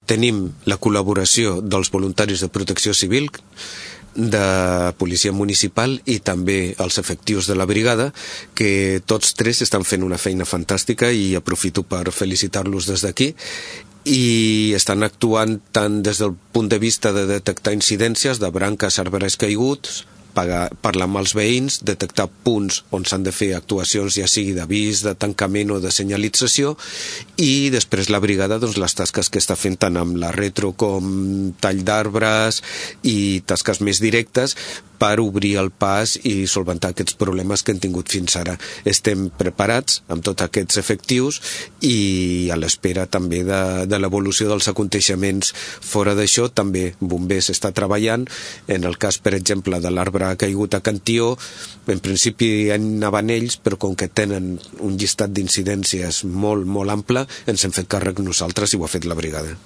Tenim la col·laboració dels voluntaris de protecció civil, de policia municipal i també els efectius de la brigada, que tots tres estan fent una feina fantàstica i aprofito per felicitar-los des d'aquí, i estan actuant tant des del punt de vista de detectar incidències de branques, arbres caiguts, parlar amb els veïns, detectar punts on s'han de fer actuacions, ja sigui d'avís, de tancament o de senyalització, i després la brigada, doncs, les tasques que està fent tant amb la retro com tall d'arbres i tasques més directes per obrir el pas i solventar aquests problemes que hem tingut fins ara. Estem preparats amb tots aquests efectius i a l'espera també de l'evolució dels aconteixements. Fora d'això, també Bombers està treballant. En el cas, per exemple, de l'arbre ha caigut a Can Tió, en principi anaven ells, però com que tenen un llistat d'incidències molt, molt ample, ens hem fet càrrec nosaltres i ho ha fet la brigada.